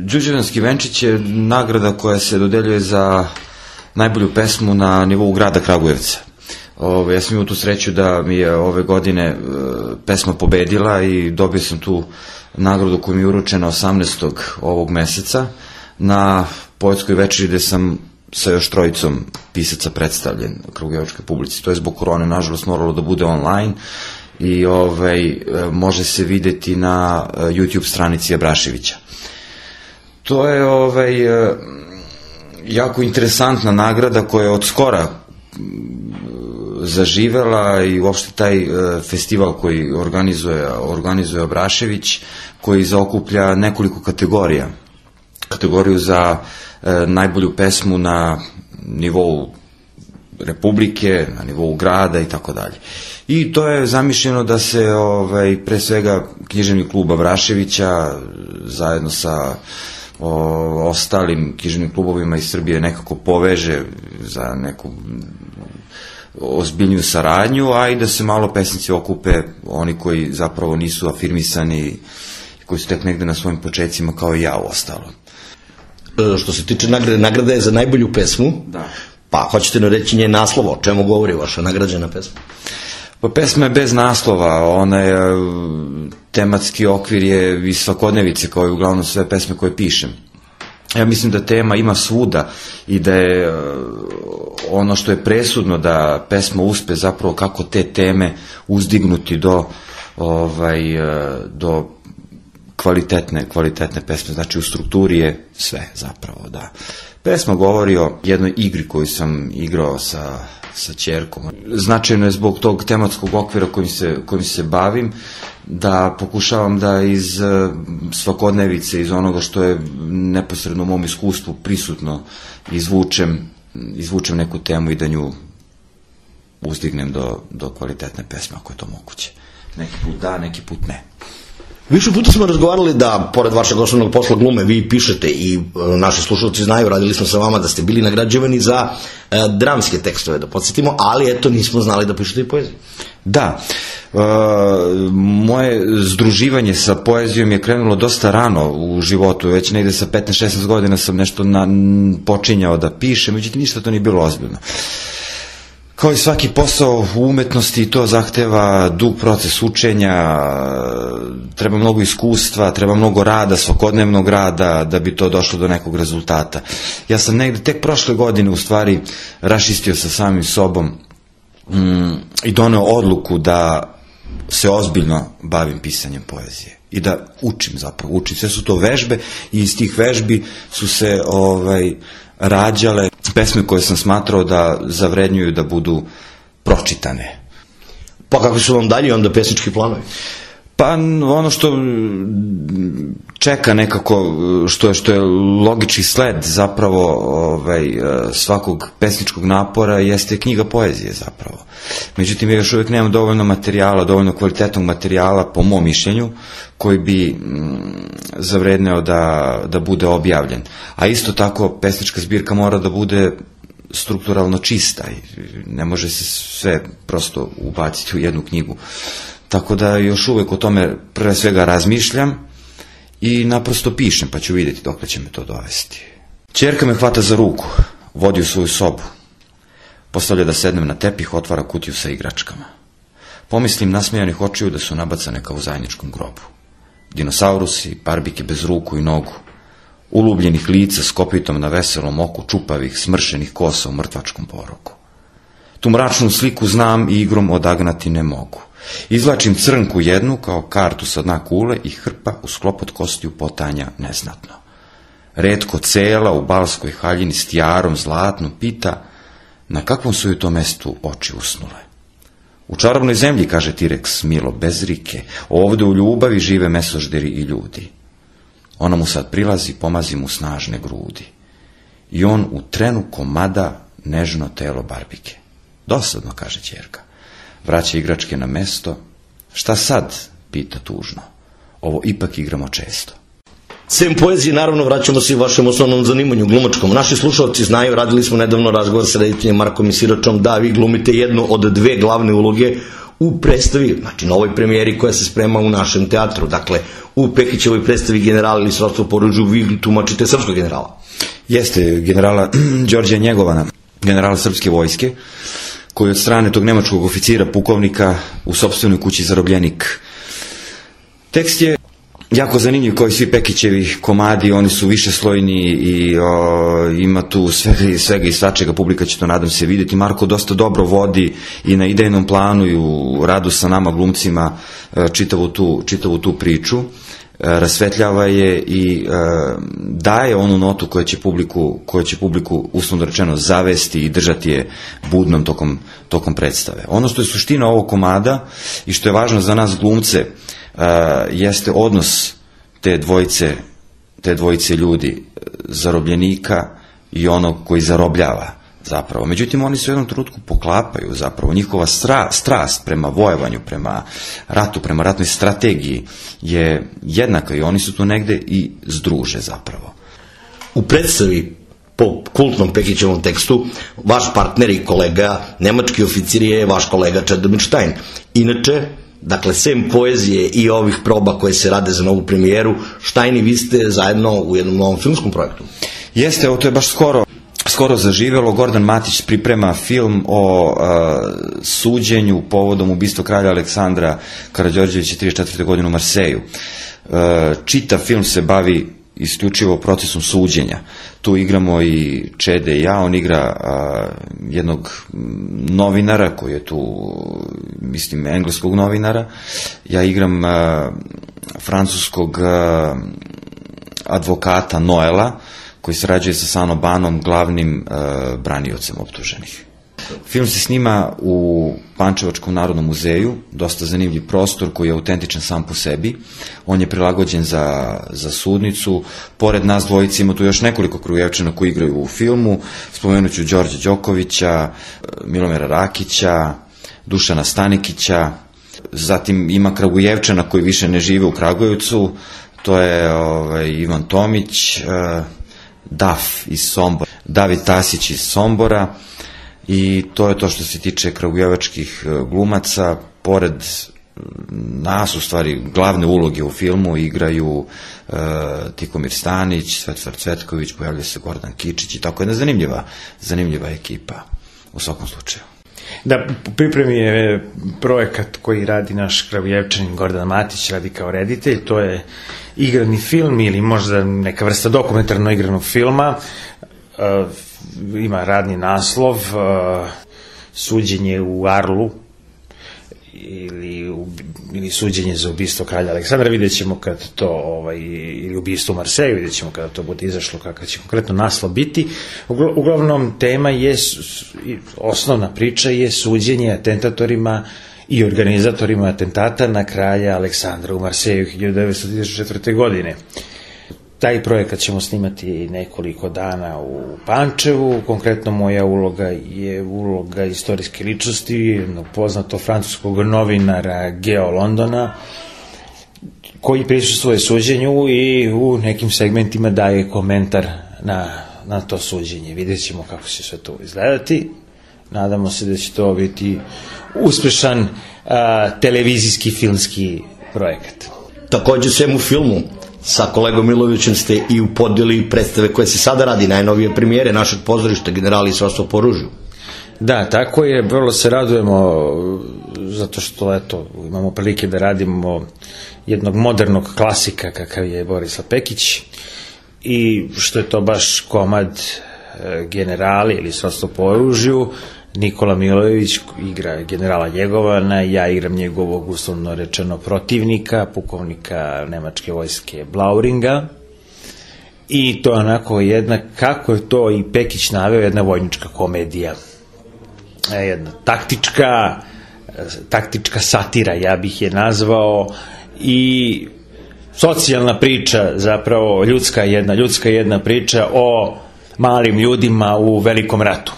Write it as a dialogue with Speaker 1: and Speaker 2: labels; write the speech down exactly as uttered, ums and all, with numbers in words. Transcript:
Speaker 1: Đurđevdanski venčić je nagrada koja se dodeljuje za najbolju pesmu na nivou grada Kragujevca. Ove, ja sam imao tu sreću da mi je ove godine e, pesma pobedila i dobio sam tu nagradu koja mi je uručena osamnaestog ovog meseca na poetskoj večeri gde sam sa još trojicom pisaca predstavljen kragujevačkoj publici. To je zbog korone, nažalost, moralo da bude online i ovaj, može se videti na YouTube stranici Abraševića. To je ovaj, jako interesantna nagrada koja je od skora zaživela i uopšte taj festival koji organizuje, organizuje Abrašević, koji zaokuplja nekoliko kategorija. Kategoriju za e, najbolju pesmu na nivou Republike, na nivou grada i tako dalje. I to je zamišljeno da se ovaj, pre svega književni klub Abraševića zajedno sa o, ostalim književnim klubovima iz Srbije nekako poveže za neku ozbiljniju saradnju, a i da se malo pesnici okupe, oni koji zapravo nisu afirmisani, koji su tek negde na svojim početcima kao i ja u ostalo.
Speaker 2: Što se tiče nagrade, nagrada je za najbolju pesmu.
Speaker 1: Da.
Speaker 2: Pa hoćete nam reći nje naslova, o čemu govori vaša nagrađena pesma?
Speaker 1: Pa pesma je bez naslova, ona je, tematski okvir je iz svakodnevice, kao i uglavnom sve pesme koje pišem. Ja mislim da tema ima svuda i da je ono što je presudno da pesma uspe zapravo kako te teme uzdignuti do, ovaj, do kvalitetne, kvalitetne pesme, znači u strukturi je sve zapravo, da. Pesma govori o jednoj igri koju sam igrao sa, sa ćerkom. Značajno je zbog tog tematskog okvira kojim se, kojim se bavim, da pokušavam da iz svakodnevice, iz onoga što je neposredno u mom iskustvu prisutno, izvučem, izvučem neku temu i da nju uzdignem do, do kvalitetne pesme, ako je to moguće. Neki put da, neki put ne.
Speaker 2: Više puta smo razgovarali da, pored vašeg osnovnog posla glume, vi pišete i e, naši slušalci znaju, radili smo sa vama da ste bili nagrađivani za e, dramske tekstove, da podsjetimo, ali eto nismo znali da pišete i poeziju.
Speaker 1: Da, e, moje združivanje sa poezijom je krenulo dosta rano u životu, već negde sa petnaest šesnaest godina sam nešto na, počinjao da pišem, međutim ništa to nije bilo ozbiljno. Kao i svaki posao u umetnosti, to zahteva dug proces učenja, treba mnogo iskustva, treba mnogo rada, svakodnevnog rada da bi to došlo do nekog rezultata. Ja sam negde tek prošle godine u stvari raščistio sa samim sobom mm, i doneo odluku da se ozbiljno bavim pisanjem poezije i da učim zapravo, učim. Sve su to vežbe i iz tih vežbi su se ovaj, rađale pesme koje sam smatrao da zavrednjuju da budu pročitane.
Speaker 2: Pa kako su vam dalje onda pesnički planovi?
Speaker 1: Pa ono što čeka nekako, što je, što je logični sled zapravo ovaj, svakog pesničkog napora jeste knjiga poezije zapravo. Međutim, ja još uvijek nemam dovoljno materijala, dovoljno kvalitetnog materijala po mom mišljenju koji bi mm, zavredneo da, da bude objavljen. A isto tako pesnička zbirka mora da bude strukturalno čista i ne može se sve prosto ubaciti u jednu knjigu. Tako da još uvijek o tome pre svega razmišljam i naprosto pišem, pa ću vidjeti dokle će me to dovesti. Ćerka me hvata za ruku, vodi u svoju sobu. Postavlja da sednem na tepih, otvara kutiju sa igračkama. Pomislim nasmejanih očiju da su nabacane kao u zajedničkom grobu. Dinosaurusi, barbike bez ruku i nogu, ulubljenih lica s kopitom na veselom oku, čupavih, smršenih kosa u mrtvačkom poroku. Tu mračnu sliku znam i igrom odagnati ne mogu. Izvlačim crnku jednu kao kartu sa dna kule i hrpa u sklopot kostiju potanja neznatno. Retko cela u balskoj haljini s tijarom zlatnom pita na kakvom su ju to mestu oči usnule. U čarobnoj zemlji, kaže T-Rex milo, bez rike, ovde u ljubavi žive mesožderi i ljudi. Ona mu sad prilazi, pomazi mu snažne grudi. I on u trenu komada nežno telo barbike. Dosadno, kaže ćerka. Vraća igračke na mesto. Šta sad? Pita tužno. Ovo ipak igramo često.
Speaker 2: Sem poezije, naravno, vraćamo se i vašem osnovnom zanimanju, glumačkom. Naši slušalci znaju, radili smo nedavno razgovor sa rediteljem Markom Siračom, da vi glumite jednu od dve glavne uloge u predstavi, znači na ovoj premijeri koja se sprema u našem teatru, dakle u Pekićevoj predstavi General ili srodstvo po oružju, vi tumačite srpskog generala.
Speaker 1: Jeste, generala Đorđa Njegovana, generala srpske vojske, koji od strane tog nemačkog oficira, pukovnika, u sopstvenoj kući zarobljenik. Tekst je jako zanimljiv, kao i svi Pekićevi komadi, oni su više slojni i o, ima tu svega, svega i svačega, publika će to, nadam se, vidjeti. Marko dosta dobro vodi i na idejnom planu i u radu sa nama glumcima čitavu tu, čitavu tu priču, rasvetljava je i e, daje onu notu koja će publiku, koja će publiku uslovno rečeno zavesti i držati je budnom tokom, tokom predstave. Ono što je suština ovog komada i što je važno za nas glumce, Uh, jeste odnos te dvojice, te dvojice ljudi, zarobljenika i onog koji zarobljava zapravo. Međutim, oni se u jednom trenutku poklapaju zapravo. Njihova stra, strast prema vojevanju, prema ratu, prema ratnoj strategiji je jednaka i oni su tu negde i združe zapravo.
Speaker 2: U predstavi po kultnom Pekićevom tekstu, vaš partner i kolega, nemački oficir je vaš kolega Čedomir Štajn. Inače, dakle, sem poezije i ovih proba koje se rade za novu premijeru, Štajn i vi ste zajedno u jednom novom filmskom projektu.
Speaker 1: Jeste, ovo to je baš skoro, skoro zaživelo. Gordan Matić priprema film o uh, suđenju povodom ubistva kralja Aleksandra Karađorđevića trideset četvrte godine u Marseju. Uh, čitav film se bavi isključivo procesom suđenja. Tu igramo i Čede i ja, on igra a, jednog novinara koji je tu, mislim, engleskog novinara, ja igram a, francuskog a, advokata Noela, koji sarađuje sa Sano Banom, glavnim a, braniocem optuženih. Film se snima u Pančevačkom narodnom muzeju, dosta zanimljiv prostor koji je autentičan sam po sebi. On je prilagođen za, za sudnicu. Pored nas dvojice ima tu još nekoliko Kragujevčana koji igraju u filmu. Spomenut ću Đorđa Đokovića, Milomira Rakića, Dušana Stanikića. Zatim ima Kragujevčana koji više ne žive u Kragujevcu. To je ovaj, Ivan Tomić, Daf iz Sombora, David Tasić iz Sombora. I to je to što se tiče kragujevačkih glumaca. Pored nas, u stvari, glavne uloge u filmu igraju e, Tikomir Stanić, Svetozar Cvetković, pojavlja se Gordan Kičić i tako jedna zanimljiva, zanimljiva ekipa u svakom slučaju.
Speaker 3: Da, u pripremi je projekat koji radi naš Kragujevčanin Gordan Matić, radi kao reditelj, to je igrani film ili možda neka vrsta dokumentarno igranog filma. Uh, ima radni naslov uh, Suđenje u Arlu ili, u, ili Suđenje za ubistvo kralja Aleksandra. Vidjet ćemo kad to, ovaj, ili ubistvo u Marseju, vidjet ćemo kada to bude izašlo, kakav će konkretno naslov biti. Uglavnom, tema je, osnovna priča je suđenje atentatorima i organizatorima atentata na kralja Aleksandra u Marseju hiljadu devetsto trideset četvrte. godine. Taj projekat ćemo snimati nekoliko dana u Pančevu. Konkretno moja uloga je uloga istorijske ličnosti, jednog poznatog francuskog novinara Geo Londona, koji prisustvuje suđenju i u nekim segmentima daje komentar na, na to suđenje. Vidjet ćemo kako će sve to izgledati. Nadamo se da će to biti uspešan a, televizijski filmski projekat.
Speaker 2: Takođe, sem u filmu, sa kolegom Milovićem ste i u podeli predstave koje se sada radi, najnovije premijere našeg pozorišta Generali i srodstvo po oružju.
Speaker 3: Da, tako je, vrlo se radujemo zato što, eto, imamo prilike da radimo jednog modernog klasika kakav je Borislav Pekić i što je to baš komad Generali ili srodstvo po oružju. Nikola Milojević igra generala Njegovana, ja igram njegovog uslovno rečeno protivnika, pukovnika nemačke vojske Blauringa. I to je onako jedna, kako je to i Pekić naveo, jedna vojnička komedija. Jedna taktička, taktička satira, ja bih je nazvao, i socijalna priča, zapravo ljudska jedna, ljudska jedna priča o malim ljudima u velikom ratu.